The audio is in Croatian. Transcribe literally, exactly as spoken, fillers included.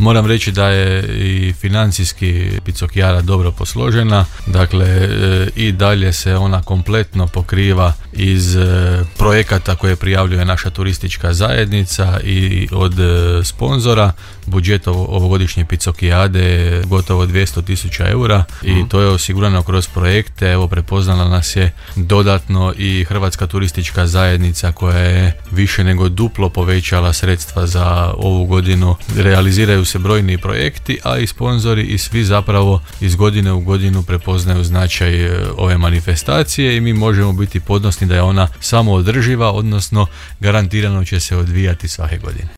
Moram reći da je i financijski Picocchiara dobro posložena, dakle i dalje se ona kompletno pokriva iz projekata koje prijavljuje naša turistička zajednica i od sponzora. Budžet ovogodišnje Picocchiade je gotovo dvjesto tisuća eura i to je osigurano kroz projekte. Evo, prepoznala nas je dodatno i Hrvatska turistička zajednica koja je više nego duplo povećala sredstva za ovu godinu. Realiziraju se brojni projekti, a i sponzori i svi zapravo iz godine u godinu prepoznaju značaj ove manifestacije i mi možemo biti ponosni da je ona samo održiva, odnosno garantirano će se odvijati svake godine.